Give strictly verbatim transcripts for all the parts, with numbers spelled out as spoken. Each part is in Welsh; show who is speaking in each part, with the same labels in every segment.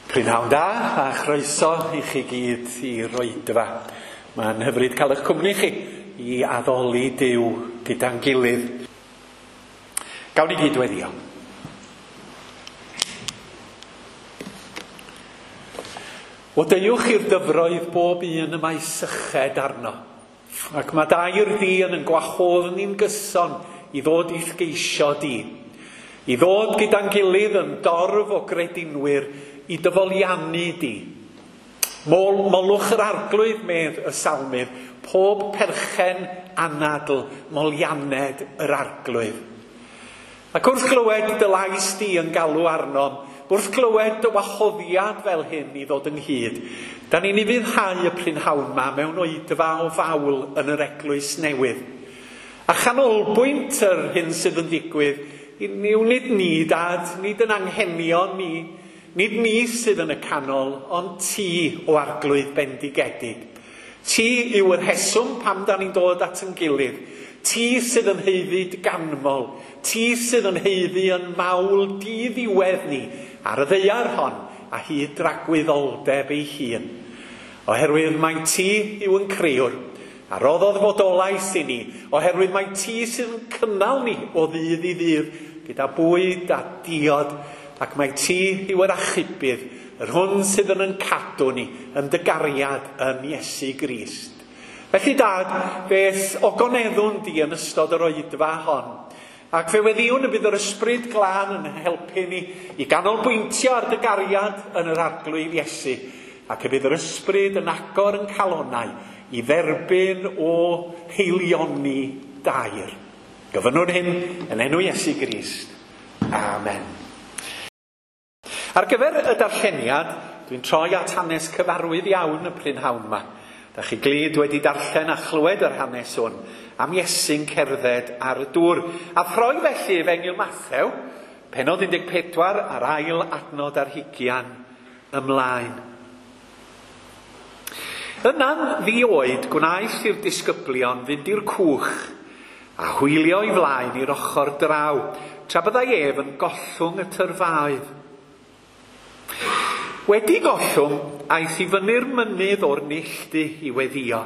Speaker 1: Prynhawn da a chroeso i chi gyd i'r oedfa. Mae'n hyfryd cael eich cwmni chi i addoli Duw gyda'n gilydd. Gawn ni gyd weddio. O deuwch i'r dyfroedd bob un y mae syched arno. Ac mae dair ddyn yn gwahodd ni'n gyson i ddod i'th geisio di. I ddod gyda'n gilydd yn dorf o gredinwyr i dyfoliannu di. Mol, molwch yr arglwydd, medd y salmydd, pob perchen anadl molianed yr arglwydd. Ac wrth glywed dy lais di yn galw arnom, wrth glywed dy wahoddiad fel hyn i ddod ynghyd, da ni'n ufuddhau y prynhawn ma mewn oedfa o fawl yn yr eglwys newydd. A chanolbwynt yr hyn sydd yn digwydd, yw nid ni, dad, nid yn anghenion ni, nid ni sydd yn y canol, ond ti o arglwydd bendigedig. Ti yw yr rheswm pam da ni'n dod at yn gilydd. Ti sydd yn haeddu ganmol. Ti sydd yn haeddu yn mawl di-ddiwedd ni ar y ddaear hon a hyd dragwyddoldeb ei hun. Oherwydd mai ti yw yn crëwr a roddodd fodolaeth i ni, oherwydd mai ti sydd yn cynnal ni o ddydd i ddydd gyda bwyd a diod, ac mai ti yw yr achubydd, yr hwn sydd yn yn cadw ni yn dy gariad yn Iesu Grist. Felly dad, fe'th ogoneddwn di yn ystod yr oedfa hon, ac fe weddiwn y bydd yr ysbryd glân yn helpu ni i ganolbwyntio ar dy gariad yn yr arglwydd Iesu, ac y bydd yr ysbryd yn agor yn calonnau i dderbyn o heilioni dair. Gofynnwn hyn yn enw Iesu Grist. Amen. Ar gyfer y darlleniad, dwi'n troi at hanes cyfarwydd iawn y prynhawn yma. Da chi glyd wedi darllen a chlywed yr hanes hwn am Iesu'n cerdded ar y dŵr. A throi felly Efengyl Mathew, pennod un deg pedwar a'r ail adnod ar hugian ymlaen. Yna'n ddi-oed gwnaeth i'r disgyblion fynd i'r cwch a hwylio i flaen i'r ochr draw, tra byddai ef yn gollwng y tyrfaoedd. Wedi gollwng, aeth i fyny'r mynydd o'r neilltu i weddio,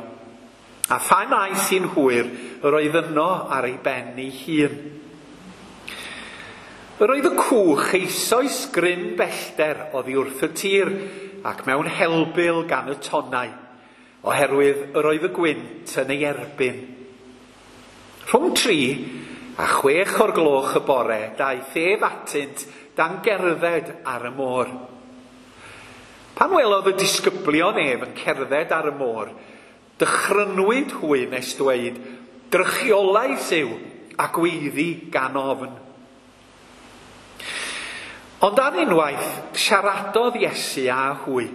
Speaker 1: a phan aeth hi'n hwyr, yr oedd yno ar ei ben ei hun. Yr oedd y cwch eisoes gryn bellter oddi wrth y tir, ac mewn helbul gan y tonnau, oherwydd yr oedd y gwynt yn ei erbyn. Rhwng tri a chwech o'r gloch y bore, daeth ef atynt dan gerdded ar y môr. Pan welodd y disgyblion ef yn cerdded ar y môr, dychrynwyd hwy nes dweud, drychiolaeth yw a gweiddi gan ofn. Ond ar unwaith, siaradodd Iesu â hwy.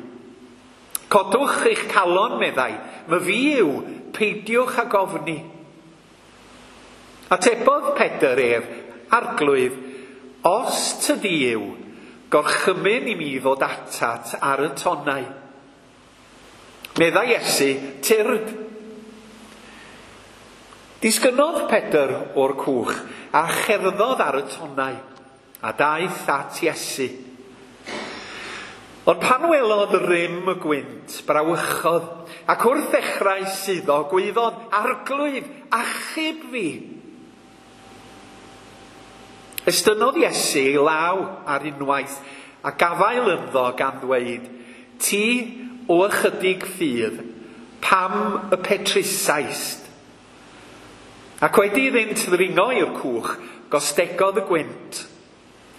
Speaker 1: Codwch eich calon, meddai, my fi yw, peidiwch ag ofni. Atebodd Pedr ef, arglwydd, os tydi yw, gorchymyn i mi ddod atat ar y tonnau. Meddai Iesu, tyrd. Disgynnodd Pedr o'r cwch a cherddodd ar y tonnau, a daeth at Iesu. Ond pan welodd rym y gwynt, brawychodd, ac wrth ddechrau suddo, gwaeddodd, arglwydd, achub fi. Estynnodd Iesu ei law ar unwaith a gafael ynddo gan ddweud, ti o ychydig ffydd, pam y petrusaist? Ac wedi iddynt ddringo i'r cwch, gostegodd y gwynt.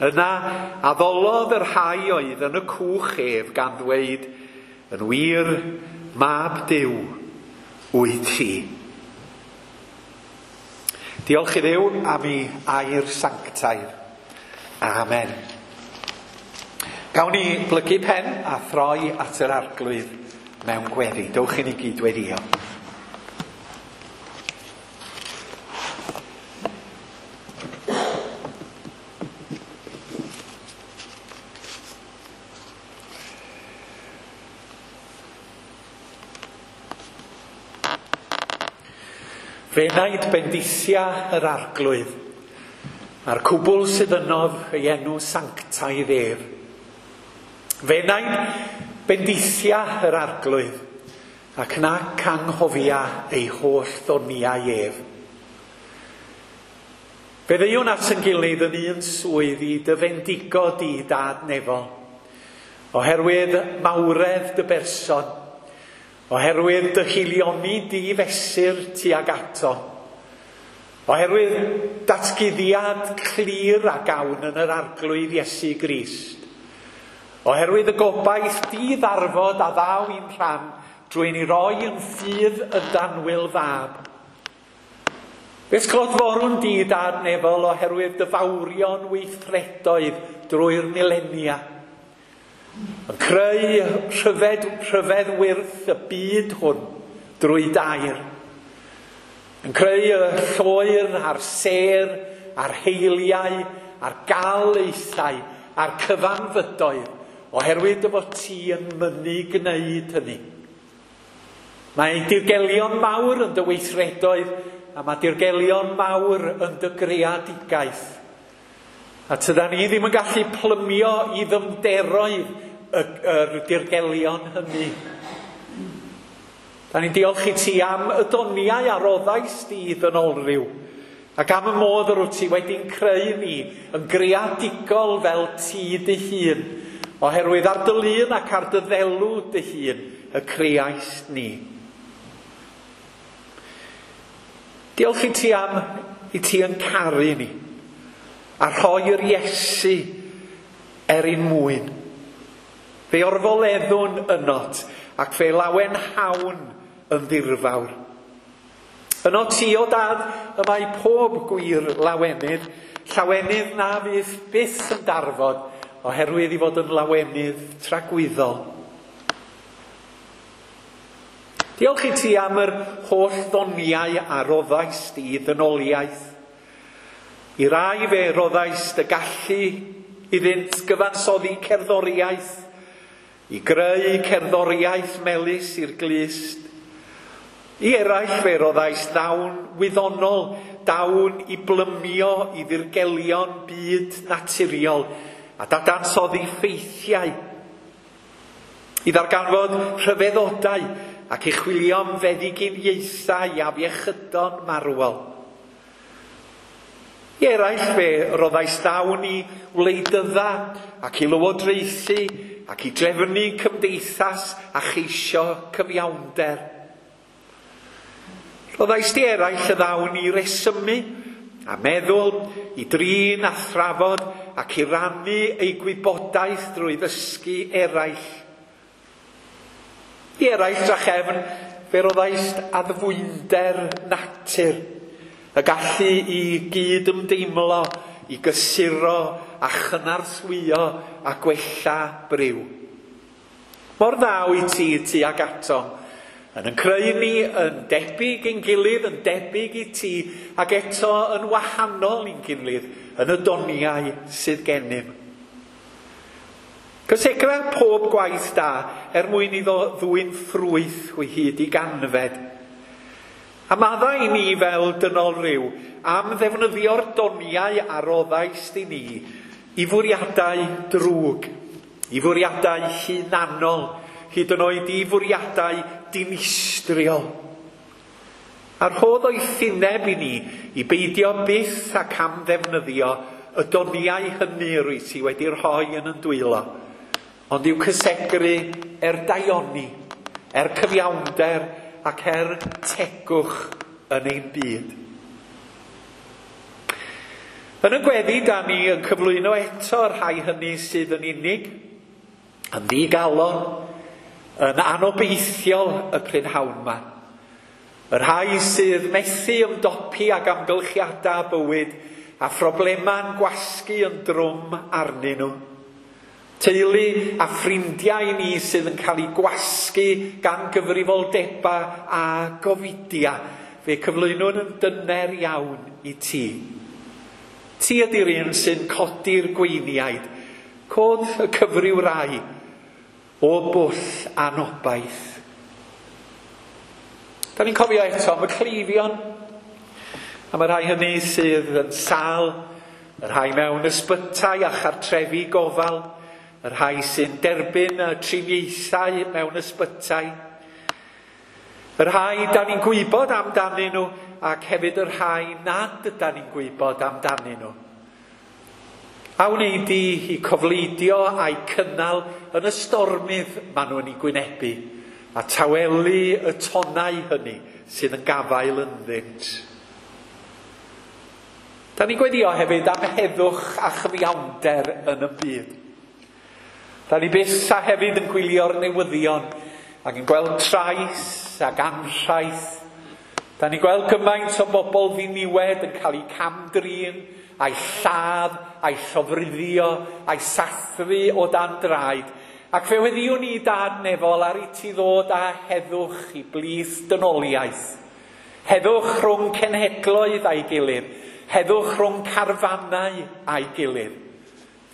Speaker 1: Yna addolodd yr rhai oedd yn y cwch ef gan ddweud, yn wir, mab Duw wyt ti. Diolch i Dduw am ei air sanctaidd. Amen. Gawn ni blygu pen a throi at yr arglwydd mewn gweddi. Dowch i ni gyd weddio. Fenaid bendithia yr arglwydd, a'r cwbl sydd ynof ei enw sanctaidd ef. F'enaid bendithia yr Arglwydd, ac nac anghofia ei holl ddoniau ef. Fe ddeuwn at yn gilydd yn un swydd i dy fendigo di, Dad nefol, oherwydd mawredd dy berson, oherwydd dy haelioni di fesur tuag ato, oherwydd datguddiad clir a gawn yn yr Arglwydd Iesu Grist, oherwydd y gobaith di ddarfod a ddaw i'n rhan drwy ni roi yn ffydd y d'annwyl Fab. Fe'th clodforwn di, Dad nefol, oherwydd dy fawrion weithredoedd drwy'r milenia, yn creu rhyfedd, rhyfedd wyrth y byd hwn drwy dair, yn creu y lloer a'r sêr, a'r heiliau, a'r galaethau, a'r cyfanfydoedd, oherwydd dy fod ti yn mynnu gwneud hynny. Mae dirgelion mawr yn dy weithredoedd, a mae dirgelion mawr yn dy greadigaeth. A tydan ni ddim yn gallu plymio i ddyfnderoedd y, yr dirgelion hynny. Da ni'n diolch i ti am y doniau a roddaist di i ddynolryw, ac am y modd yr wyt ti wedi'n creu ni yn greadigol fel ti dy hun, oherwydd ar dy lun ac ar dy ddelw dy hun y creaist ni. Diolch i ti am i ti yn caru ni, a rhoi'r Iesu er ein mwyn. Fe orfoleddwn ynot, ac fe lawenhawn yn ddirfawr. Yno ti, o Dad, y mae pob gwir lawenydd, llawenydd na fydd byth yn darfod, oherwydd i fod yn lawenydd tragwyddol. Diolch i ti am yr holl ddoniau a roddaist i ddynoliaeth. I rai fe roddaist y gallu iddynt gyfansoddi cerddoriaeth, i greu cerddoriaeth melys i'r glust. I eraill fe roddaist ddawn wyddonol, dawn i blymio i ddirgelion byd naturiol a dadansoddi ffeithiau, i ddarganfod rhyfeddodau ac i chwilio am feddyginiaethau afiechydon marwol. I eraill fe roddaist ddawn i wleidydda ac i lywodraethu ac i drefnu cymdeithas a cheisio cyfiawnder. Roddaist i eraill y ddawn i resymu a meddwl, i drin a thrafod ac i rannu eu gwybodaeth drwy ddysgu eraill. I eraill drachefn fe roddaist addfwynder natur, y gallu i gyd-ymdeimlo, i gysuro a chynorthwyo a gwella briw. Mor dda wyt ti tuag atom, yn yn creu ni yn debyg i'n gilydd, yn debyg i ti, ac eto yn wahanol i'n gilydd, yn y doniau sydd gennym. Cysegra pob gwaith da er mwyn iddo ddwyn ffrwyth o hyd i ganfed. A maddau i ni fel dynol ryw am ddefnyddio'r doniau a roddaist i ni i fwriadau drwg, i fwriadau hunanol, hyd yn oed i fwriadau dinistriol. A rhodd oethineb i ni i beidio byth ac am ddefnyddio y doniau hynny rwyt ti wedi rhoi yn yn dwylo, ond i'w cysegru er daioni, er cyfiawnder ac er tegwch yn ein byd. Yn y gweddi, da ni yn cyflwyno eto'r rhai hynny sydd yn unig, yn ddigalon, yn anobeithiol y prynhawn yma. Y rhai sydd methu ymdopi ag amgylchiadau bywyd a phroblemau'n gwasgu yn drwm arnyn nhw. Teulu a ffrindiau ni sydd yn cael eu gwasgu gan gyfrifoldebau a gofidia, fe cyflwynwn yn dyner iawn i ti. Ti ydy'r un sy'n codi'r gweiniaid, cod y cyfryw rai o bwll anobaith. Da ni'n cofio eto am y cleifion, am y rhai hynny sydd yn sâl, y rhai mewn ysbytai a chartrefi gofal, y rhai sy'n derbyn y triniaethau mewn ysbytai, y rhai da ni'n gwybod amdanyn nhw ac hefyd y rhai nad ydan ni'n gwybod amdanyn nhw. A wnei di i cofleidio a'i cynnal yn y stormydd maen nhw'n ei gwynebu, a tawelu y tonnau hynny sydd yn gafael ynddynt. Da ni'n gweddio hefyd am heddwch a chyfiawnder yn y byd. Da ni byth a hefyd yn gwylio'r newyddion ac yn gweld trais ac anrhaith. Da ni'n gweld gymaint o bobl ddiniwed yn cael eu cam-drin, a'i lladd, a'i llofruddio, a'i sathru o dan draed. Ac fe weddiwn ni Dad nefol ar i ti ddod â heddwch i blith dynoliaeth. Heddwch rhwng cenhedloedd a'i gilydd, heddwch rhwng carfannau a'i gilydd.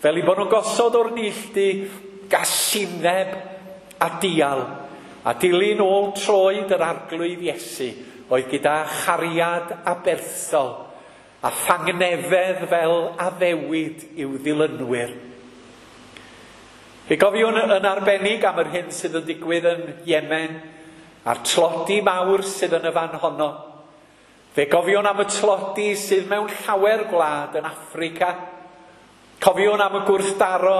Speaker 1: Fel i bod nhw'n gosod o'r neilltu gasineb a dial, a dilyn ôl troed yr Arglwydd Iesu oedd gyda chariad aberthol a thangnefedd fel addewid i'w ddilynwyr. Fe gofiwn yn arbennig am yr hyn sydd yn digwydd yn Yemen a'r tlodi mawr sydd yn y fan honno. Fe gofiwn am y tlodi sydd mewn llawer gwlad yn Affrica. Cofiwn am y gwrthdaro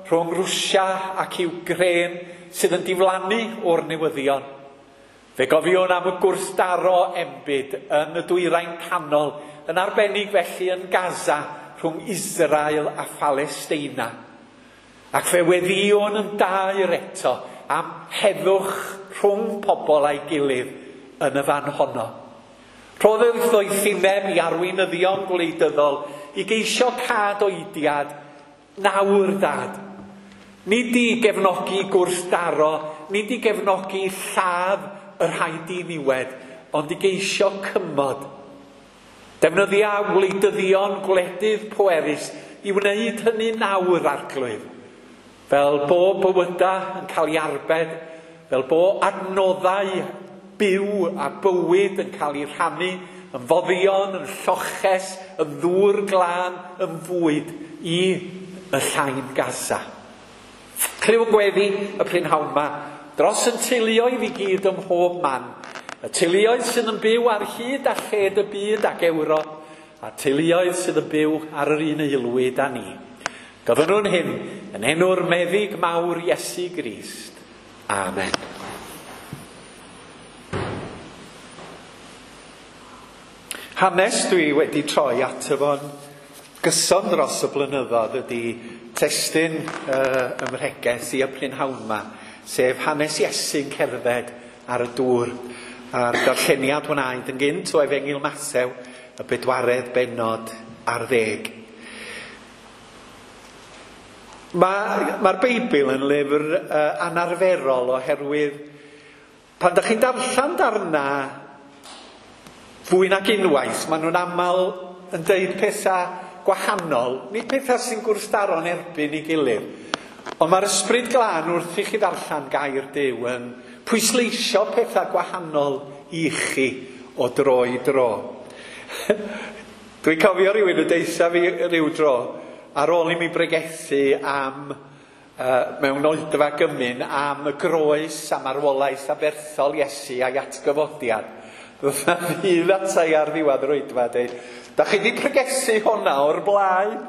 Speaker 1: rhwng Rwsia ac Iwcrain sydd yn diflannu o'r newyddion. Fe gofiwn am y gwrthdaro enbyd yn y dwyrain canol, yn arbennig felly yn Gaza rhwng Israel a Phalesteina. Ac fe weddiwn yn daer eto am heddwch rhwng pobl a'i gilydd yn y fan honno. Rhoddodd ddoethineb i arweinyddion gwleidyddol i geisio cad oediad nawr Dad. Nid i gefnogi gwrthdaro, nid i gefnogi lladd y rhai diniwed, ond i geisio cymod. Defnyddia wleidyddion gwledydd pwerus i wneud hynny nawr, Arglwydd. Fel bo bywyda yn cael ei arbed, fel bo adnoddau byw a bywyd yn cael ei rhannu, yn foddion, yn lloches, yn ddŵr glân, yn fwyd i y llain Gaza. Clyw gweddi y prynhawn ma, dros yn teuluoedd i gyd ym mhob man. Y teuluoedd sydd yn byw ar hyd a lled y byd ac Ewrop, a teuluoedd sydd yn byw ar yr un aelwyd â ni. Gofynnwn hyn yn enw'r meddyg mawr Iesu Grist. Amen. Hanes dwi wedi troi ato fo'n gyson dros y blynyddoedd ydy testun uh, ymhregeth i y prynhawn ma, sef hanes Iesu'n cerdded ar y dŵr, a'r darlleniad wnaed yn gynt o Efengyl Mathew, y bedwaredd bennod ar ddeg. Mae'r ma Beibl yn lyfr uh, anarferol oherwydd pan dach chi'n darllen darna fwy nag unwaith, maen nhw'n aml yn deud pethau gwahanol, nid pethau sy'n gwrthdaro'n erbyn ei gilydd. Ond mae'r Ysbryd Glân wrth i chi ddarllen gair Duw yn pwysleisio pethau gwahanol i chi o dro i dro. Dwi'n cofio rhywun yn deutha fi ryw dro, ar ôl i mi bregethu am, uh, mewn oedfa gymun, am y groes a marwolaeth aberthol Iesu a'i atgyfodiad. Ddoth 'na ddyn ata i ar ddiwedd yr oedfa a deud, da chi di pregethu hwnna o'r blaen?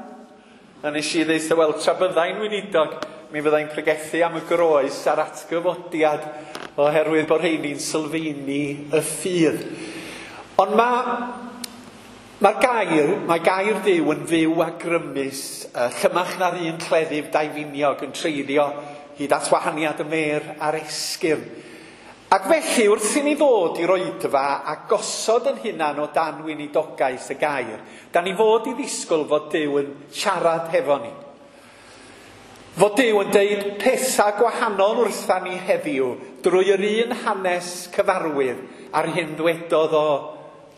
Speaker 1: A nes i ddeud, wel, tra byddai'n weinidog, mi fyddai'n pregethu am y groes a'r atgyfodiad, oherwydd bod rheini'n sylfaeni y ffydd. Ond mae mae'r gair, mae gair Duw yn fyw a grymus, uh, llymach na'r un cleddyf daufiniog yn treiddio hyd at wahaniad y mêr a'r esgyrn. Ac felly, wrth i ni ddod i'r oedfa a gosod yn hunan o dan weinidogaeth y gair, da ni fod i ddisgwyl fod Duw yn siarad hefo ni. Fod Duw yn deud pethau gwahanol wrtha ni heddiw drwy yr un hanes cyfarwydd a'r hyn ddwedodd o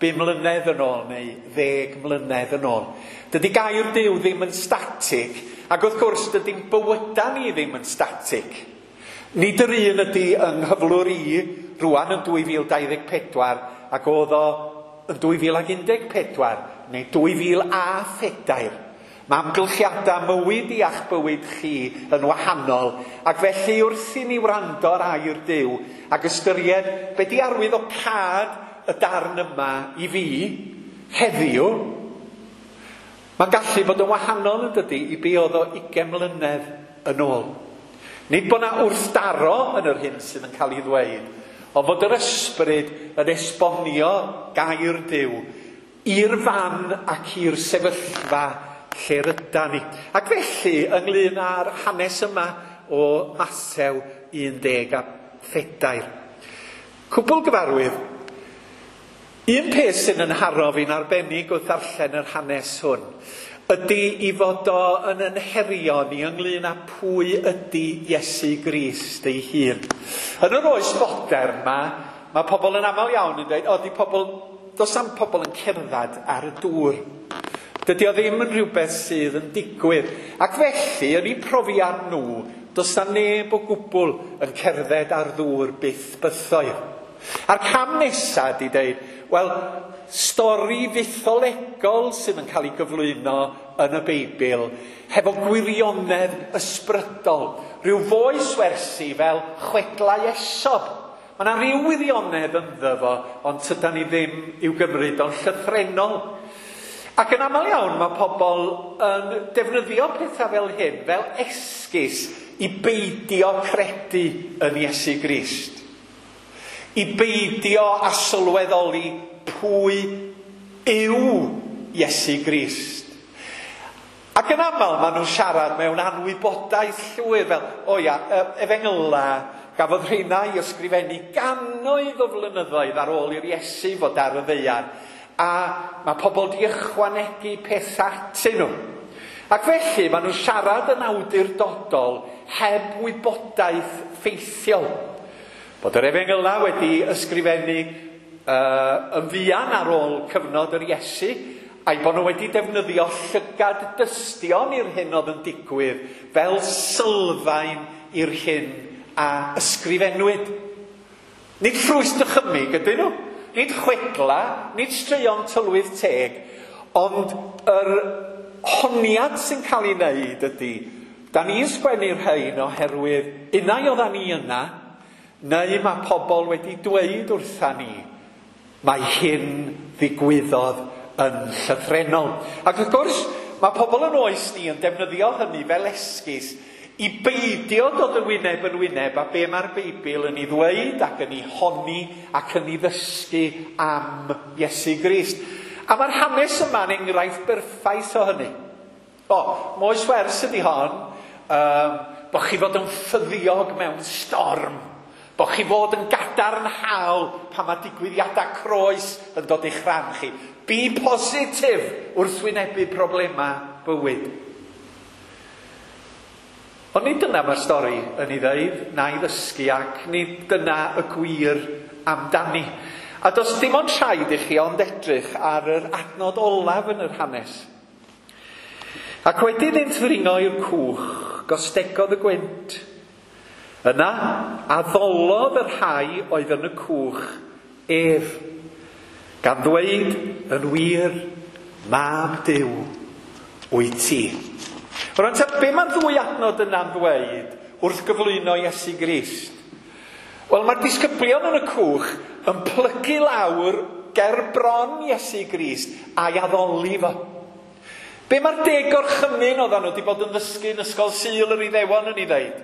Speaker 1: bum mlynedd yn ôl neu ddeg mlynedd yn ôl. Dydy gair Duw ddim yn static, ac wrth gwrs dydy'n bywyda ni ddim yn static. Nid yr un ydy yng nghyflwr i rwan yn dwy fil dau ddeg pedwar ac oedd o yn dwy fil ag un deg pedwar neu dwy fil a phedair. Mae amgylchiadau mywyd i a'ch bywyd chi yn wahanol, ac felly wrth i ni wrando ar air Duw ac ystyried be di arwydd o cad y darn yma i fi heddiw, mae'n gallu bod yn wahanol yn dydy i be oedd o ugain mlynedd yn ôl. Nid bod 'na wrthdaro yn yr hyn sydd yn cael ei ddweud, ond fod yr ysbryd yn esbonio gair Duw i'r fan ac i'r sefyllfa lle rydan ni. Ac felly, ynglyn â'r hanes yma o Mathew un deg a phedair. Cwbl gyfarwydd, un peth sy'n yn haro fi'n arbennig wrth ddarllen yr hanes hwn, ydy i fod o yn yn herio ni ynglyn â pwy ydy Iesu Grist ei hun. Yn yr oes fodern ma, mae pobl yn aml iawn yn dweud, o, di pobl, does am pobl yn cerdded ar y dŵr. Dydy o ddim yn rhywbeth sydd yn digwydd. Ac felly, yn eu profiad nhw, does na neb o gwbl yn cerdded ar ddŵr byth bythoedd. A'r cam nesaf di dweud, wel, stori fytholegol sydd yn cael ei gyflwyno yn y Beibl, hefo gwirionedd ysbrydol, rhyw foes wersi fel chwedlau Esop. Mae yna rhyw wirionedd ynddo fo, ond tydan ni ddim i'w gymryd o'n llythrennol. Ac yn aml iawn mae pobl yn defnyddio pethau fel hyn, fel esgus i beidio credu yn Iesu Grist. I beidio a sylweddoli pwy yw Iesu Grist. Ac yn aml maen nhw'n siarad mewn anwybodaeth llwyr fel, o ia, efengyla, gafodd rheina i ysgrifennu gannoedd o flynyddoedd ar ôl i'r Iesu fod ar y ddaear. A mae pobl di ychwanegu pethau atyn nhw. Ac felly maen nhw'n siarad yn awdurdodol heb wybodaeth ffeithiol. Bod yr efengyla wedi ysgrifennu uh, yn fuan ar ôl cyfnod yr Iesu, a'i bod nhw wedi defnyddio llygad dystion i'r hyn oedd yn digwydd fel sylfaen i'r hyn a ysgrifennwyd. Nid ffrwyth dychymyg ydyn nhw. Nid chwedla, nid straeon tylwyth teg, ond yr honiad sy'n cael ei wneud ydy, da ni'n sgwennu'r rhain oherwydd unai oeddan ni yna, neu mae pobl wedi dweud wrtha ni, mae hyn ddigwyddodd yn llythrennol. Ac wrth gwrs, mae pobl yn oes ni yn defnyddio hynny fel esgus i beidio dod yn wyneb yn wyneb a be mae'r Beibl yn ei ddweud ac yn ei honni ac yn ei ddysgu am Iesu Grist. A mae'r hanes yma'n enghraifft berffaith o hynny. O, moes wers ydy hon, um, bo chi fod yn ffyddiog mewn storm, bo chi fod yn gadarnhaol pan mae digwyddiadau croes yn dod i'ch rhan chi. Be positif wrth wynebu problemau bywyd. Ond nid dyna mae'r stori yn ei ddeud, na'i ddysgu, ac nid dyna y gwir amdani. A does dim ond rhaid i chi ond edrych ar yr adnod olaf yn yr hanes. Ac wedyn iddynt ddringo i'r cwch, gostegodd y gwynt. Yna, addolodd y rhai oedd yn y cwch ef, gan ddweud yn wir, mab Duw wyt ti. Rwan ta, be mae'r ddwy adnod yna'n ddweud wrth gyflwyno Iesu Grist? Wel, mae'r disgyblion yn y cwch yn plygu lawr ger bron Iesu Grist a'i addoli fo. Be mae'r deg gorchymyn oedden nhw wedi bod yn ddysgu yn ysgol Sul yr Iddewon yn ei ddeud?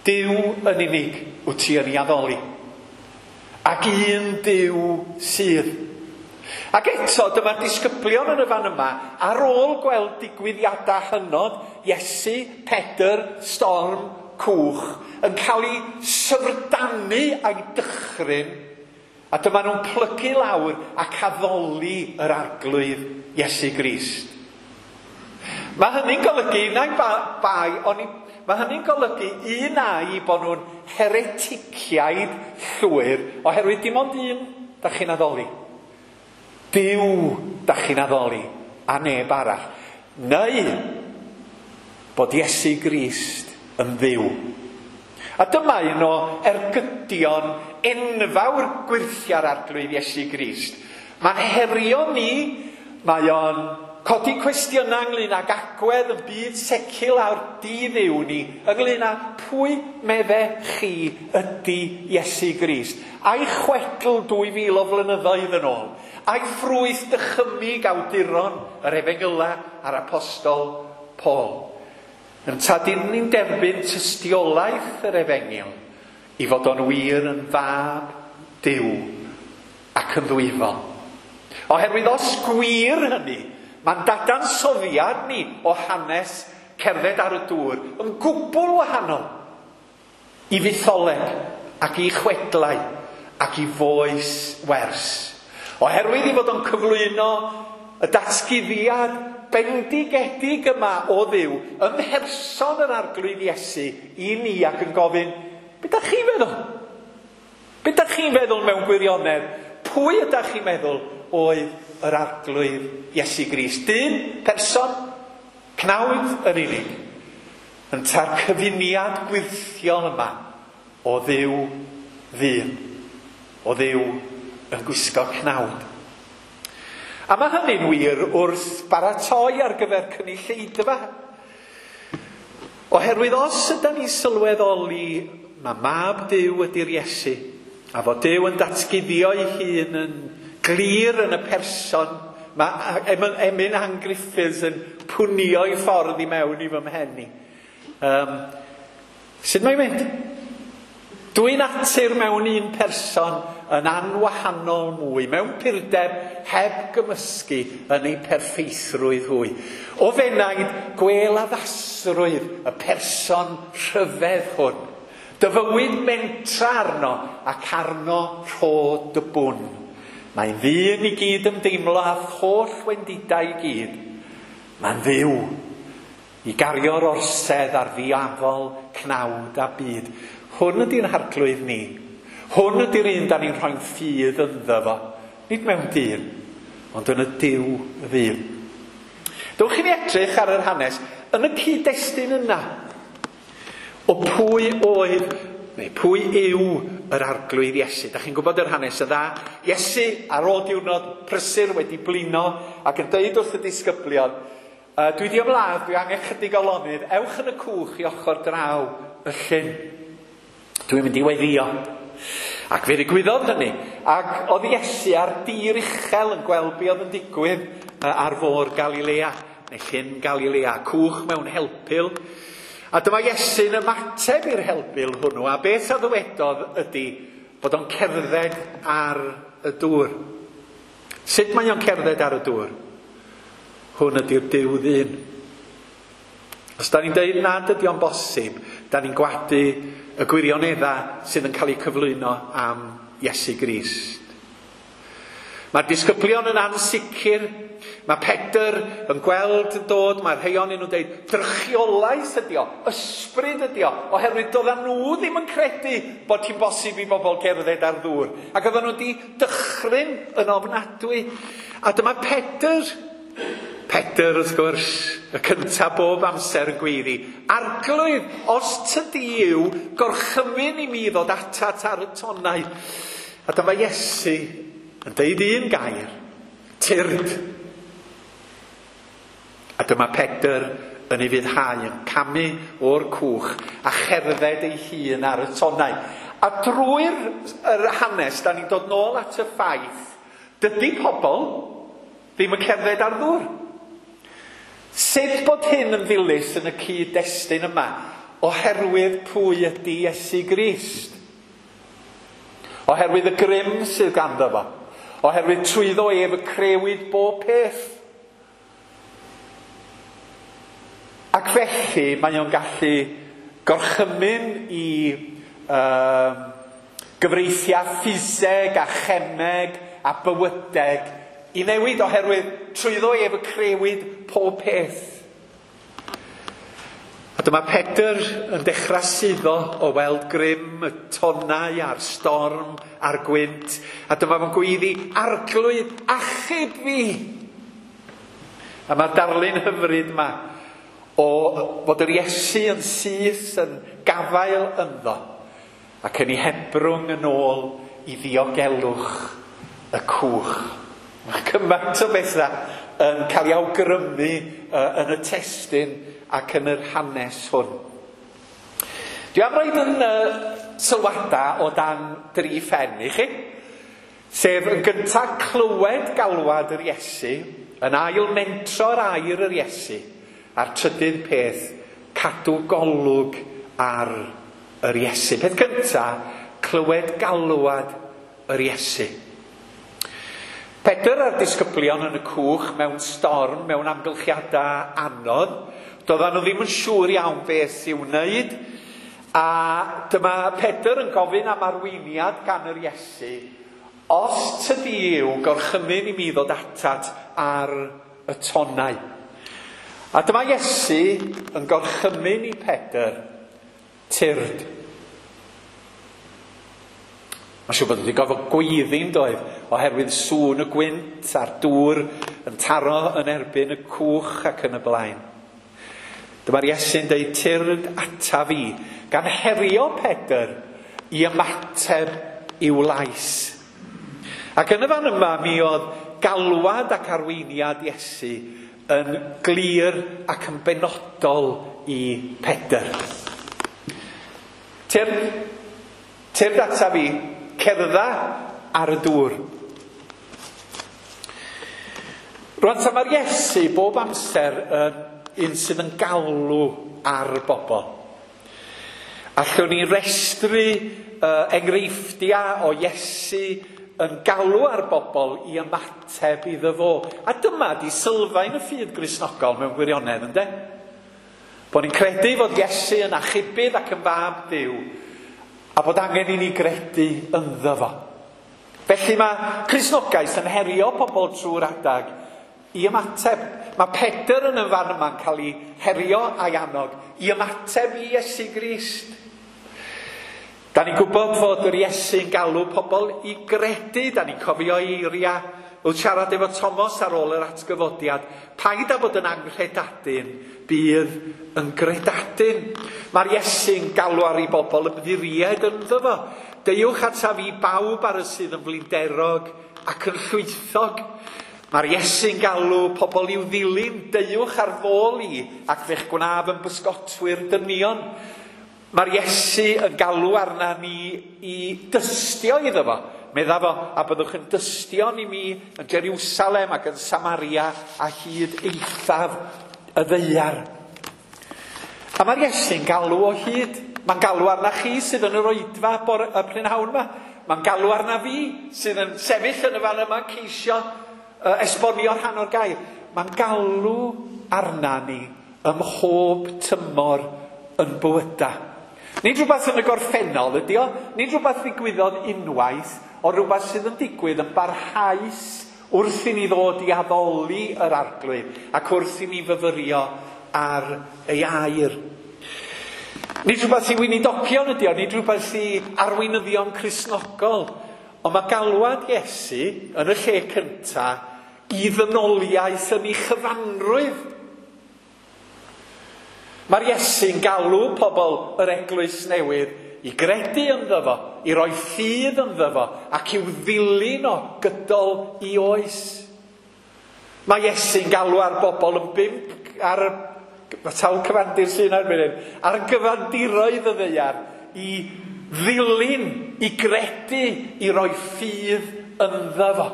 Speaker 1: Duw yn unig wyt ti yn ei addoli. Ac un Duw sydd. Ac eto, dyma'r disgyblion yn y fan yma, ar ôl gweld digwyddiadau hynod, Iesu, Pedr, storm, cwch, yn cael ei syfrdanu a'i dychryn, a dyma nhw'n plygu lawr ac addoli yr Arglwydd Iesu Grist. Mae hynny'n golygu, na'i bai, oni, mae hynny'n golygu un ai bod nhw'n hereticiaid llwyr, oherwydd dim ond un da chi'n addoli. Duw da chi'n addoli, a neb arall. Neu bod Iesu Grist yn ddiw. A dyma un o ergydion enfawr gwyrthiau'r Arglwydd Iesu Grist. Mae'n herio ni, mae o'n codi cwestiynau ynglyn ag agwedd y byd seciwlar di-dduw ni, ynglyn â pwy medde chi ydy Iesu Grist. A'i chwedl dwy fil o flynyddoedd yn ôl, a'i ffrwyth dychymyg awduron yr Efengyla a'r Apostol Paul. Ynta dyn ni'n derbyn tystiolaeth yr Efengyl i fod o'n wir yn fab Duw ac yn ddwyfol. Oherwydd os gwir hynny, mae'n dadansoddiad ni o hanes cerdded ar y dŵr yn gwbl wahanol i fytholeg ac i chwedlau ac i foes wers. Oherwydd i fod o'n cyflwyno y datguddiad bendigedig yma o Dduw ym mherson yr Arglwydd Iesu i ni ac yn gofyn, be dach chi'n feddwl? Be dach chi'n feddwl mewn gwirionedd? Pwy ydach chi'n meddwl oedd yr Arglwydd Iesu Grist? Dyn, person, cnawd yn unig, ynta'r cyfuniad gwyrthiol yma o Dduw ddyn, o Dduw yn gwisgo cnawd. A mae hynny'n wir wrth baratoi ar gyfer cynulleidfa. Oherwydd os ydyn ni'n sylweddoli mae mab Duw ydy'r Iesu, a fod Duw yn datguddio'i hun yn glir yn y person, mae Emyn Ann Griffiths yn pwnio'i ffordd i mewn i fy mhen i. Um, sut mae'n mynd? Dwy natur mewn un person yn anwahanol mwy, mewn purdeb heb gymysgu yn ei perffeithrwydd hwy. O fenaid, gwel addasrwydd y person rhyfedd hwn. Dy fywyd mentra arno ac arno rho dy bwn. Mae'n ddyn i gyd ymdeimlo â holl wendidau i gyd. Mae'n Dduw i gario'r orsedd ar ddiafol, cnawd a byd. Hwn ydy'n harglwydd ni. Hwn ydy'r un da ni'n rhoi'n ffydd ynddo fo. Nid mewn dyn, ond yn y Duw ddyn. Dewch i ni edrych ar yr hanes yn y cyd-destun yna o pwy oedd, neu pwy yw yr Arglwydd Iesu. Da chi'n gwybod yr hanes yn dda. Iesu ar ôl diwrnod prysur wedi blino ac yn deud wrth y disgyblion, dwi di ymladd, dwi angen chydig o lonydd, ewch yn y cwch i ochr draw y llyn. Dwi'n mynd i weddïo. Ac fe ddigwyddodd hynny. Ac oedd Iesu ar dir uchel yn gweld be oedd yn digwydd ar fôr Galilea, neu llyn Galilea, cwch mewn helpul. A dyma Iesu'n ymateb i'r helpul hwnnw, a beth a ddywedodd ydy bod o'n cerdded ar y dŵr. Sut mae o'n cerdded ar y dŵr? Hwn ydy'r Duw ddyn. Os da ni'n deud nad ydy o'n bosib, da ni'n gwadu y gwirioneddau sydd yn cael eu cyflwyno am Iesu Grist. Mae'r disgyblion yn ansicr, mae Pedr yn gweld yn dod, mae'r rhai ohonyn nhw'n dweud, drychiolaeth ydi o, ysbryd ydi o, oherwydd doedden nhw ddim yn credu bod hi'n bosib i bobl gerdded ar ddŵr. Ac oedden nhw wedi dychryn yn ofnadwy. A dyma Pedr, Pedr wrth gwrs, y cyntaf bob amser yn gweiddi, Arglwydd, os tydi yw, gorchymyn i mi ddod atat ar y tonnau. A dyma Iesu yn deud un gair, tyrd. A dyma Pedr yn ei fuddhau, yn camu o'r cwch a cherdded ei hun ar y tonnau. A drwy'r yr hanes, da ni'n dod nôl at y ffaith, dydy pobl ddim yn cerdded ar ddŵr. Sut bod hyn yn ddilys yn y cyd-destun yma? Oherwydd pwy ydy Iesu Grist. Oherwydd y grym sydd ganddo fo. Oherwydd trwyddo ef y crewyd bob peth. Ac felly mae o'n gallu gorchymyn i uh, gyfreithiau ffiseg a chemeg a bywydeg i newid, oherwydd trwyddo ef y crewyd pob peth. A dyma Pedr yn dechrau suddo o weld grym y tonnau a'r storm a'r gwynt. A dyma fo'n gweiddi, Arglwydd, achub fi! A mae'r darlun hyfryd yma o fod yr Iesu yn syth yn gafael ynddo ac yn ei hebrwng yn ôl i ddiogelwch y cwch. Mae cymaint o bethau yn cael ei awgrymu uh, yn y testun ac yn yr hanes hwn. Dwi am roid yn uh, sylwadau o dan dri phen i chi. Sef yn gyntaf clywed galwad yr Iesu, yn ail mentro'r air yr Iesu, a'r trydydd peth, cadw golwg ar yr Iesu. Peth gyntaf, clywed galwad yr Iesu. Pedr a'r disgyblion yn y cwch mewn storm, mewn amgylchiadau anodd. Doedden nhw ddim yn siŵr iawn beth i'w wneud. A dyma Pedr yn gofyn am arweiniad gan yr Iesu. Os tydi yw gorchymyn i mi ddod atat ar y tonnau. A dyma Iesu yn gorchymyn i Pedr, tyrd. Mae'n siŵr bod wedi gorfod gweiddi'n doedd, oherwydd sŵn y gwynt a'r dŵr yn taro yn erbyn y cwch ac yn y blaen. Dyma'r Iesu'n deud, tyrd ata fi, gan herio Pedr i ymateb i'w lais. Ac yn y fan yma mi oedd galwad ac arweiniad Iesu yn glir ac yn benodol i Pedr. Tyrd, tyrd ata fi, cerdda ar y dŵr. Rwan ta mae'r Iesu bob amser yn un sydd yn galw ar bobl. Allwn ni restru uh, enghreifftiau o Iesu yn galw ar bobl i ymateb iddo fo. A dyma di sylfaen y ffydd Gristnogol mewn gwirionedd, ynde? Bod ni'n credu fod Iesu yn achubydd ac yn fab Duw, a bod angen i ni gredu ynddo fo. Felly mae Cristnogaeth yn herio pobl trwy'r adag i ymateb. Mae Pedr yn y fan yma'n cael ei herio a'i annog i ymateb i Iesu Grist. Da ni'n gwybod fod yr Iesu'n galw pobl i gredu. Da ni'n cofio eiriau wrth siarad efo Thomas ar ôl yr atgyfodiad. Paid â bod yn anghredadun, bydd yn gredadun. Mae'r Iesu'n galw ar ei bobl ymddiried ynddo fo. Deuwch ata fi bawb ar y sydd yn flinderog ac yn llwythog. Mae'r Iesu'n galw pobl i'w ddilyn, deuwch ar fôl i ac fe'ch gwnaf yn bysgotwyr dynion. Mae'r Iesu yn galw arna ni i dystio iddo fo. Medda fo, a byddwch yn dystion i mi yn Jerusalem ac yn Samaria a hyd eithaf y ddaear. A mae'r Iesu'n galw o hyd. Mae'n galw arna chi sydd yn yr oedfa bore, y prynhawn yma. Mae'n galw arna fi sydd yn sefyll yn y fan yma ceisio uh, esbonio rhan o'r gair. Mae'n galw arna ni ym mhob tymor yn bywyda. Nid rhywbeth yn y gorffennol ydi o, nid rhywbeth ddigwyddodd unwaith, ond rhywbeth sydd yn digwydd yn barhaus wrth i ni ddod i addoli yr Arglwydd ac wrth i ni fyfyrio ar ei air. Nid rhywbeth i weinidogion ydi o, nid rhywbeth i arweinyddion Cristnogol, ond mae galwad Iesu yn y lle cyntaf i ddynoliaeth yn ei chyfanrwydd. Mae'r Iesu'n galw pobl yr eglwys newydd i gredu ynddo fo, i roi ffydd ynddo fo, ac i'w ddilyn o gydol i oes. Mae Iesu'n galw ar bobl yn bump ar y sawl cyfandir sy'n erbyn hyn, ar gyfandiroedd y ddaear i ddilyn, i gredu, i roi ffydd ynddo fo.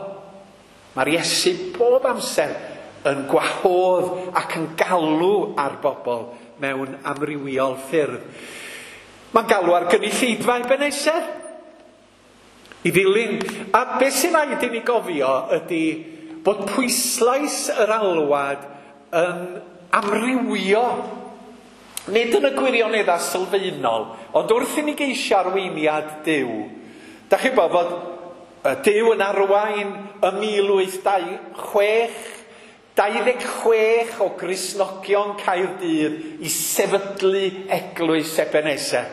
Speaker 1: Mae'r Iesu bob amser yn gwahodd ac yn galw ar bobl mewn amrywiol ffyrdd. Mae'n galw ar gynulleidfa Ebenezer i ddilyn. A beth sy'n rhaid i ni gofio ydy bod pwyslais yr alwad yn amrywio. Nid yn y gwirioneddau sylfaenol, ond wrth i ni geisio arweiniad Duw. Da chi'n gwybod bod Duw yn arwain ym mil wyth dau chwech, dau ddeg chwech o Gristnogion Caerdydd i sefydlu eglwys Ebenezer.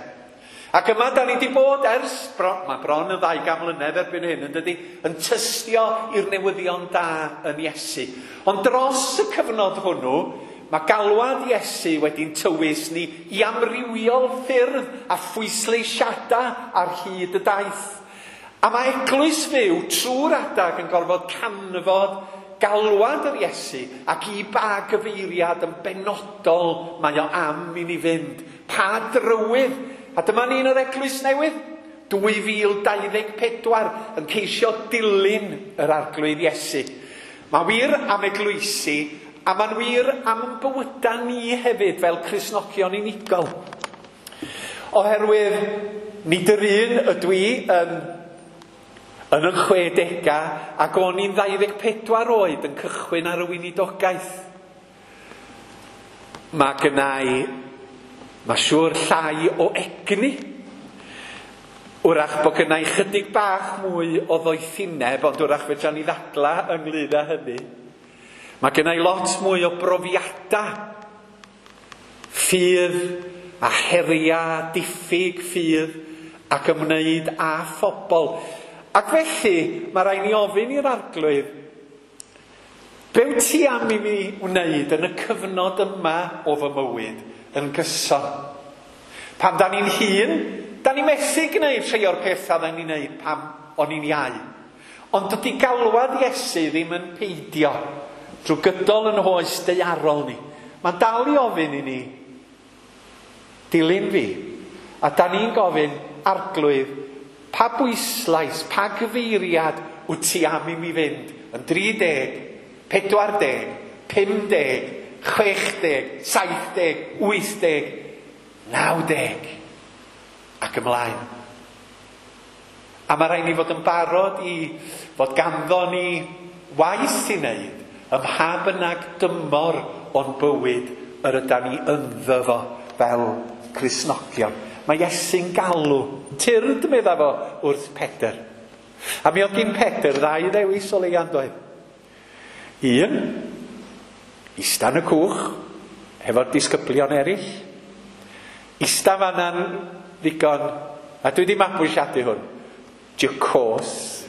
Speaker 1: Ac yma da ni wedi bod ers, bron, mae bron yn ddau gan mlynedd erbyn hyn, yn dydi, yn tystio i'r newyddion da yn Iesu. Ond dros y cyfnod hwnnw, mae galwad Iesu wedi'n tywys ni i amrywiol ffyrdd a phwysleisiadau ar hyd y daith. A mae eglwys fyw trwy'r adag yn gorfod canfod galwad yr Iesu ac i ba gyfeiriad yn benodol mae o am i ni fynd. Pa drywydd? A dyma ni'n yr Eglwys Newydd, dwy fil dau ddeg pedwar, yn ceisio dilyn yr Arglwydd Iesu. Mae wir am eglwysi, a mae'n wir am ein bywydau ni hefyd fel Cristnogion unigol. Oherwydd nid yr un ydw i yn, yn y chwedegau, ac o'n i'n ddau ddeg pedwar oed yn cychwyn ar y weinidogaeth. Mae gynna i, mae siŵr, llai o egni. Wrach bod gynna i chydig bach mwy o ddoethineb, ond wrach fedra ni ddadla ynglyn â hynny. Mae gynna i lot mwy o brofiadau, ffydd a heriau, diffyg ffydd ac ymwneud â phobl. Ac felly, mae rhaid ni ofyn i'r Arglwydd, be wyt ti am i mi wneud yn y cyfnod yma o fy mywyd yn gyson? Pan da ni'n hŷn, da ni methu gwneud rhai o'r pethau da ni'n gwneud pan o'n i'n iau. Ond dydy galwad Iesu ddim yn peidio drwy gydol yn oes daearol ni. Mae'n dal i ofyn i ni, dilyn fi. A da ni'n gofyn, Arglwydd, pa bwyslais, pa gyfeiriad wyt ti am i mi fynd yn dri deg, pedwar deg, pum deg, chwech deg, saith deg, wyth deg, naw deg, ac ymlaen. A mae rhaid ni fod yn barod i fod ganddo ni waith i wneud ym mha bynnag dymor o'n bywyd yr ydan ni ynddo fo fel Cristnogion. Mae Iesu'n galw, tyrd medda fo wrth Pedr. A mi oedd gyn Pedr ddau ddewis o leia, doedd. Un, ista yn y cwch hefo'r disgyblion eraill. Ista fanna'n ddigon, a dwi wedi mabwysiadu hwn, jacose.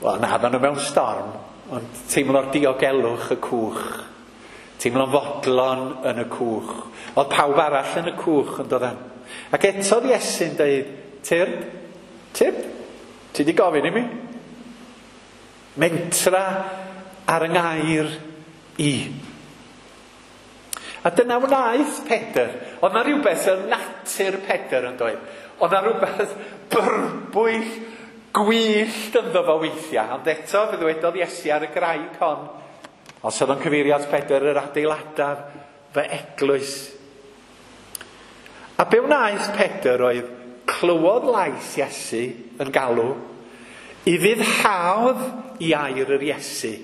Speaker 1: Wel, na, oedden nhw mewn storm, ond teimlo'r diogelwch y cwch. Teimlo'n fodlon yn y cwch. Oedd pawb arall yn y cwch yn dod. Ac eto Iesu'n dweud, tyrd, tyrd, ti di gofyn i mi? Mentra ar yng ngair i. A dyna wnaeth Pedr. Oedd na rhywbeth yn natur Pedr yn dweud. Oedd na rhywbeth byrbwyll, gwyllt ynddo fo weithiau. Ond eto, fe ddywedodd Iesu ar y graig hon, os oedd o'n cyfeirio at Pedr, yr adeiladaf fy eglwys. A be wnaeth Pedr oedd clywodd lais Iesu yn galw, i fuddhaodd i air yr Iesu.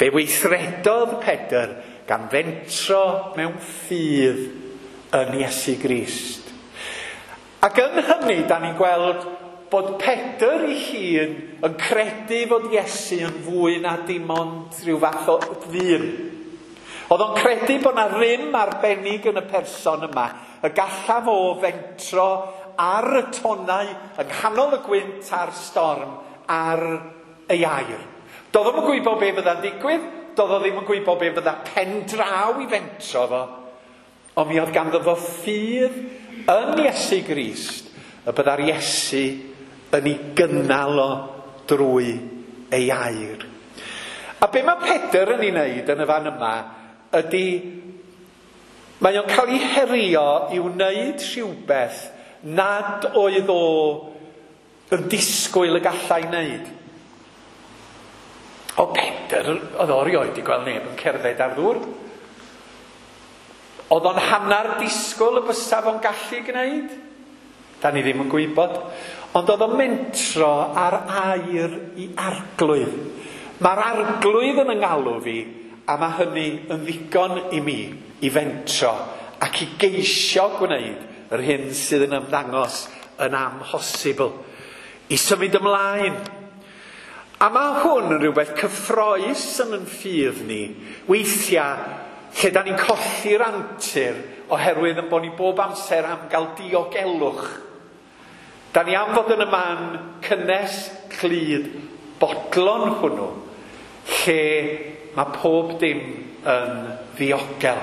Speaker 1: Fe weithredodd Pedr gan fentro mewn ffydd yn Iesu Grist. Ac yn hynny, da ni'n gweld bod Pedr ei hun yn credu fod Iesu yn fwy na dim ond rhyw fath o ddyn. Oedd o'n credu bod na rym arbennig yn y person yma, y gallaf o fentro ar y tonnau yng nghanol y gwynt a'r storm ar ei air. Doedd o'm yn gwybod be fydda'n digwydd, doedd o ddim yn gwybod be fydda pen draw i fentro fo, ond mi oedd ganddo fo ffydd yn Iesu Grist, y bydda'r Iesu yn ei gynnal o drwy ei air. A be mae Pedr yn ei wneud yn y fan yma ydy, mae o'n cael ei herio i wneud rhywbeth nad oedd o yn disgwyl y gallai wneud. O Pedr, oedd o erioed wedi gweld neb yn cerdded ar ddŵr. Oedd o'n hanner disgwyl y bysa fo'n gallu gwneud? Da ni ddim yn gwybod. Ond oedd o'n mentro ar air i Arglwydd. Mae'r Arglwydd yn yngalw fi, a mae hynny yn ddigon i mi i fentro ac i geisio gwneud yr hyn sydd yn ymddangos yn amhosibl. I symud ymlaen. A mae hwn yn rhywbeth cyffrous yn yn ffydd ni. Weithiau, lle da ni'n colli'r antur oherwydd yn bod ni bob amser am gael diogelwch. Da ni am fod yn y man cynnes, clyd, bodlon hwnnw, lle mae pob dim yn ddiogel.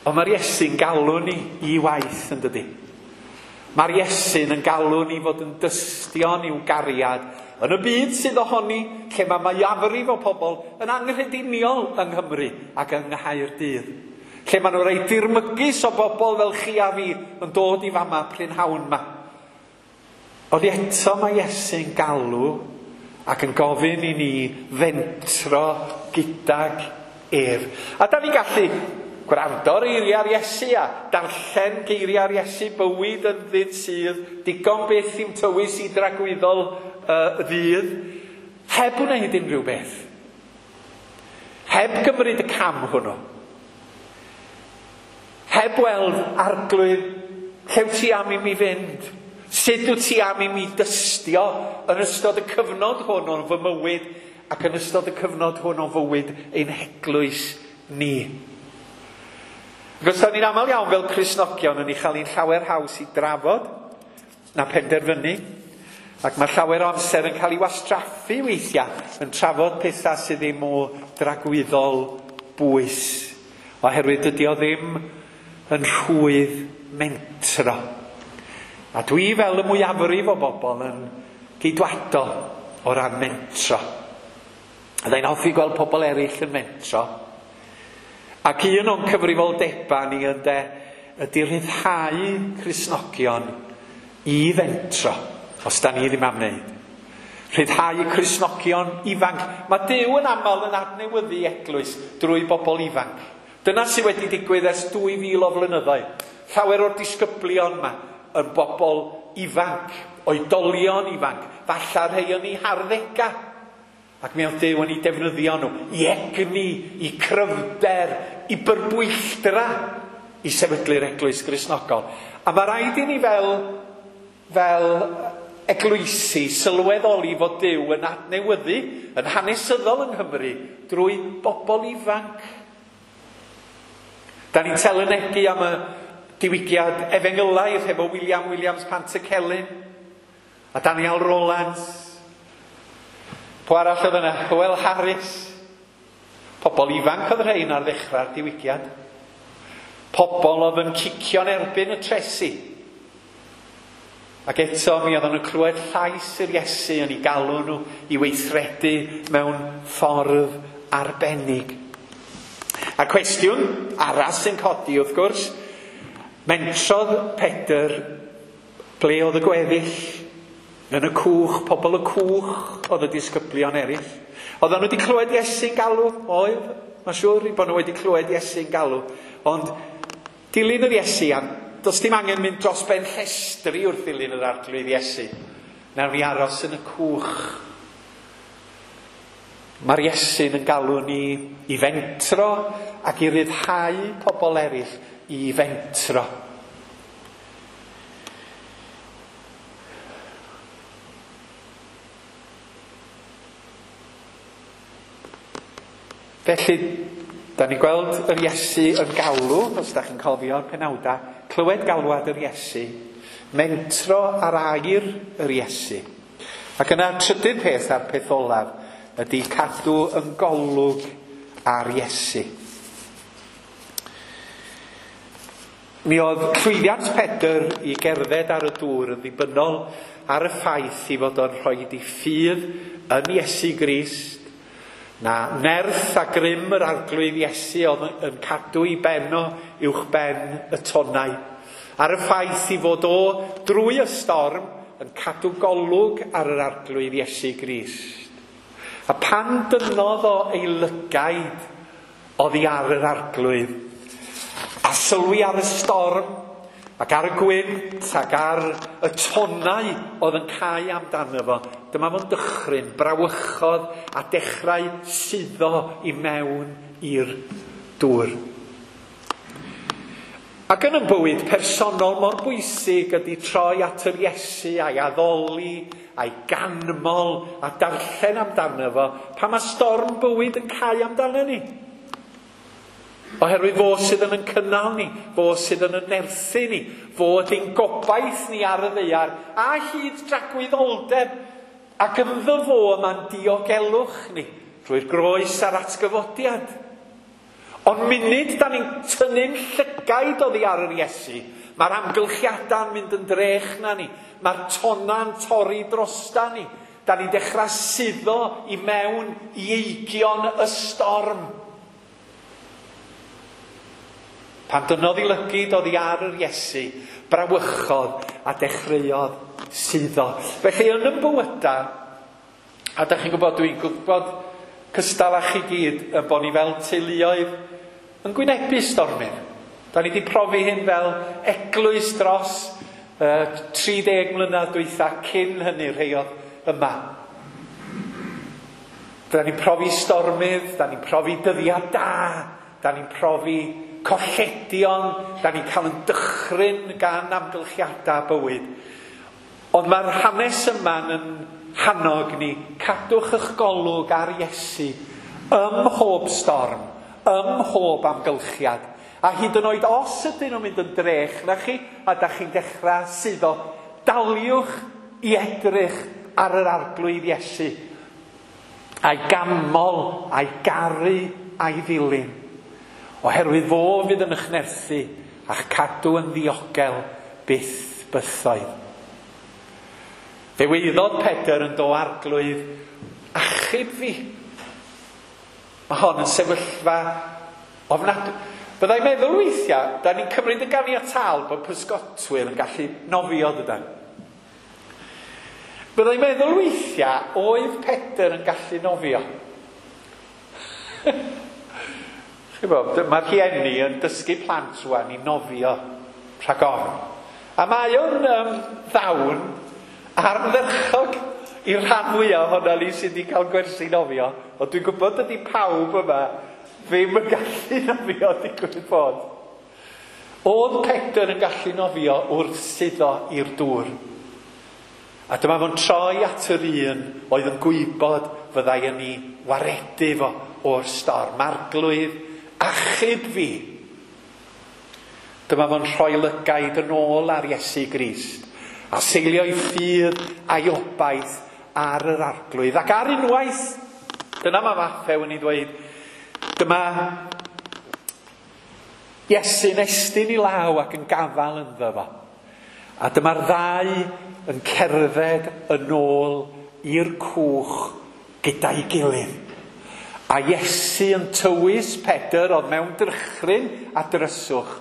Speaker 1: Ond mae'r Iesu'n galw ni i waith, yn dydi? Mae'r Iesu'n yn galw ni fod yn dystion i'w gariad Yn y byd sydd ohoni, lle mae mwyafrif o pobl yn anghrediniol yng Nghymru ac yng Nghaerdydd. Lle maen nhw'n rhai dirmygus o bobl fel chi a fi yn dod i fama prynhawn ma. Ond eto mae Iesu'n galw ac yn gofyn i ni fentro gydag ef. A da ni'n gallu gwrando ar eiriau'r Iesu a darllen geiriau'r Iesu, bywyd yn ddyn sydd, digon beth i'm tywys i dragwyddol uh, ddydd, heb wneud unrhyw beth. Heb gymryd y cam hwnnw. Heb weld Arglwydd, lle wyt ti am i mi fynd? Sut wyt ti am i mi dystio yn ystod y cyfnod hwn o'n fy mywyd ac yn ystod y cyfnod hwn o'n fywyd ein heglwys ni? Ac os da ni'n aml iawn fel Cristnogion yn ei chael ein llawer haws i drafod na penderfynu, ac mae llawer o amser yn cael ei wastraffu weithiau yn trafod pethau sydd ddim o dragwyddol bwys, oherwydd dydy o ddim yn rhwydd mentro. A dwi fel y mwyafrif o bobl yn geidwadol o ran mentro. Byddai'n hoffi gweld pobl eraill yn mentro. Ac un o'n cyfrifoldebau ni ynde ydy rhyddhau Cristnogion i fentro, os da ni ddim am wneud. Rhyddhau Cristnogion ifanc. Mae Duw yn aml yn adnewyddu eglwys drwy bobl ifanc. Dyna sydd wedi digwydd ers dwy fil o flynyddoedd. Llawer o'r disgyblion yma yn bobl ifanc, oedolion ifanc, falle rhai yn eu harddegau. Ac mi oedd Duw yn eu defnyddio nhw i egni, i cryfder, i byrbwylltra i sefydlu'r eglwys Gristnogol. A mae rhaid i ni fel, fel eglwysi sylweddoli fod Duw yn adnewyddu, yn hanesyddol yng Nghymru, drwy bobl ifanc. Da ni'n telynegu am y diwygiad efengylaidd hefo William Williams Pantycelyn a Daniel Rowlands. Pwy arall oedd yna? Hywel Harris. Pobl ifanc oedd rhain ar ddechrau'r diwygiad. Pobl oedd yn cicio'n erbyn y tresi. Ac eto mi oedden nhw'n clywed llais yr Iesu yn ei galw nhw i weithredu mewn ffordd arbennig. A cwestiwn arall sy'n codi wrth gwrs, mentrodd Pedr ble oedd y gweddill? Yn y cwch, pobl y cwch oedd y disgyblion eraill. Oedden nhw wedi clywed Iesu'n galw? Oedd, mae'n siŵr bod nhw wedi clywed Iesu'n galw. Ond dilyn yr Iesu, a does dim angen mynd dros ben llestri wrth ddilyn yr Arglwydd Iesu. Nawn ni aros yn y cwch. Mae'r Iesu'n yn galw ni i fentro ac i ryddhau pobl eraill i fentro. Felly, da ni'n gweld yr Iesu yn galw, os da chi'n cofio'r penawdau, clywed galwad yr Iesu, mentro ar air yr Iesu. Ac yna trydydd peth a'r peth olaf ydy cadw yn golwg ar Iesu. Mi oedd llwyddiant Pedr i gerdded ar y dŵr yn ddibynnol ar y ffaith i fod o'n rhoi ei ffydd yn Iesu Grist, na nerth a grym yr Arglwydd Iesu oedd yn cadw ei ben o uwch ben y tonnau. Ar y ffaith i fod o drwy y storm yn cadw golwg ar yr Arglwydd Iesu Grist. A pan dynnodd o ei lygaid oddi ar yr Arglwydd, a sylwi ar y storm, ac ar y gwynt, ac ar y tonnau oedd yn cau amdano fo, dyma fo'n dychryn, brawychodd a dechrau suddo i mewn i'r dŵr. Ac yn y bywyd personol mor bwysig ydy troi at yr Iesu a'i addoli, a'i ganmol a darllen amdano fo, pan mae storm bywyd yn cau amdano ni. Oherwydd fo sydd yn yn cynnal ni, fo sydd yn yn nerthu ni, fo ydy'n gobaith ni ar y ddaear, a hyd dragwyddoldeb, ac ynddo fo yma'n diogelwch ni, drwy'r groes a'r atgyfodiad. Ond munud da ni'n tynnu'n llygaid oddi ar yr Iesu, mae'r amgylchiadau'n mynd yn drech na ni, mae'r tonna'n torri drosta ni, Da ni'n dechrau suddo i mewn i eigion y storm. Pan dynnodd ei lygid oddi ar yr Iesu, brawychodd a dechreuodd suddo. Felly yn yn bywyda, a da chi'n gwybod, dwi'n gwybod cystal â chi gyd, yn bod ni fel teuluoedd yn gwynebu stormydd. Da ni wedi profi hyn fel eglwys dros uh, tri deg mlynedd dwytha cyn hynny rhai oedd yma. Da ni'n profi stormydd, da ni'n profi dyddiau da, da ni'n profi colledion, da ni'n cael yn dychryn gan amgylchiadau bywyd. Ond mae'r hanes yma yn hannog ni, cadwch eich golwg ar Iesu ym mhob storm, ym mhob amgylchiad. A hyd yn oed os ydyn nhw'n mynd yn drech na chi, a da chi'n dechrau suddo, daliwch i edrych ar yr Arglwydd Iesu, a'i ganmol, a'i garu, a'i ddilyn. Oherwydd fo fydd yn eich nerthu a'ch cadw yn ddiogel byth bythoedd. Fe weiddodd Pedr yn do Arglwydd, achub fi. Mae hon yn sefyllfa ofnadwy. Byddai'n meddwl weithiau, da ni'n cymryd yn ganiataol bod pysgotwyr yn gallu nofio dydan. Byddai'n meddwl weithiau, oedd Pedr yn gallu nofio? Chi'n bod, mae'r rhieni yn dysgu plant rwan i nofio rhag ofn. A mae o'n um, ddawn ardderchog i'r rhan fwyaf ohono ni sydd wedi cael gwersi nofio. Ond dwi'n gwybod ydy pawb yma ddim yn gallu nofio digwydd bod. Oedd Pedr yn gallu nofio wrth suddo i'r dŵr. A dyma fo'n troi at yr un oedd yn gwybod fyddai yn ei waredu fo o'r storm. Arglwydd, achub fi. Dyma fo'n rhoi lygaid yn ôl ar Iesu Grist a seilio'i ffydd a'i obaith ar yr Arglwydd. Ac ar unwaith, dyna mae Mathew yn ei ddweud, dyma Iesu'n estyn i law ac yn gafael ynddo fo. A dyma'r ddau yn cerdded yn ôl i'r cwch gyda'i gilydd. A Iesu yn tywys Pedr oedd mewn drychryn a dryswch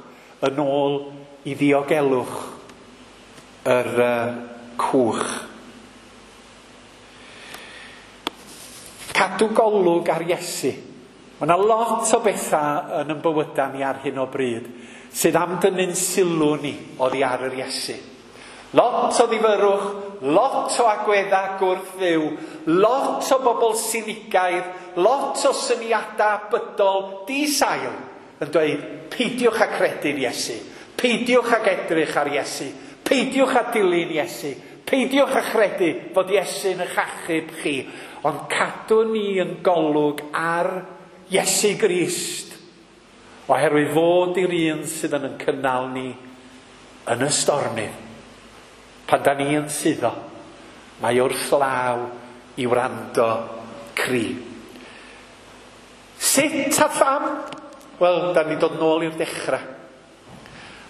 Speaker 1: yn ôl i ddiogelwch yr uh, cwch. Cadw golwg ar Iesu. Mae yna lot o bethau yn ein bywydau ni ar hyn o bryd sydd am dynnu'n sylw ni oddi ar yr Iesu. Lot o ddifyrrwch, lot o agweddau gwrth-Dduw, lot o bobl sinigaidd, lot o syniadau bydol di-sail yn dweud peidiwch â credu'n Iesu, peidiwch ag edrych ar Iesu, peidiwch â dilyn Iesu, peidiwch â chredu fod Iesu'n eich achub chi, ond cadw ni yn golwg ar Iesu Grist, oherwydd fod i'r un sydd yn yn cynnal ni yn y stormydd. Pan da ni yn suddo, mae wrth law i wrando cri. Sut a pham? Wel, da ni dod nôl i'r dechrau.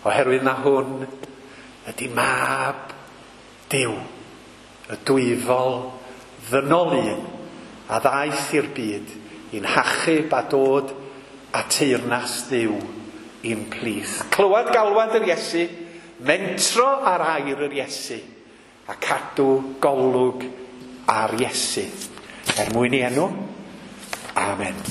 Speaker 1: Oherwydd na hwn ydy mab Duw, y dwyfol ddynol un a ddaeth i'r byd i'n hachub a dod a teyrnas Dduw i'n plith. Clywed galwad yr Iesu, mentro ar air yr Iesu, a cadw golwg ar Iesu. Er mwyn i enw, amen.